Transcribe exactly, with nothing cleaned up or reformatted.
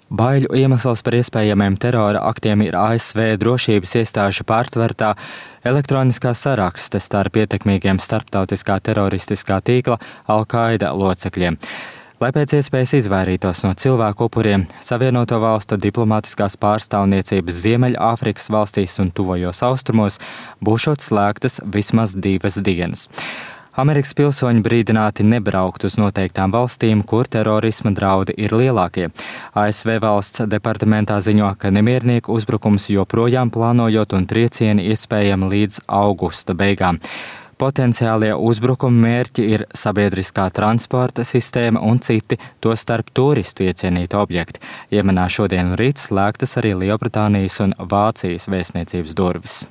Baiļu iemesls par iespējamiem terora aktiem ir A S V drošības iestāžu pārtvertā elektroniskā sarakste starp ietekmīgiem starptautiskā teroristiskā tīkla Al-Qaida locekļiem. Lai pēc iespējas izvairītos no cilvēku upuriem, Savienoto valstu diplomātiskās pārstāvniecības Ziemeļāfrikas valstīs un tuvajos austrumos būšot slēgtas vismaz divas dienas. Amerikas pilsoņi brīdināti nebraukt uz noteiktām valstīm, kur terorisma draudi ir lielākie. A S V valsts departamentā ziņo, ka nemiernieku uzbrukums joprojām plānojot un triecieni iespējami līdz augusta beigām. Potenciālie uzbrukuma mērķi ir sabiedriskā transporta sistēma un citi, tostarp turistu iecienīti objekti. Jemenā šodien un rīt slēgtas arī Lielbritānijas un Vācijas vēstniecības durvis.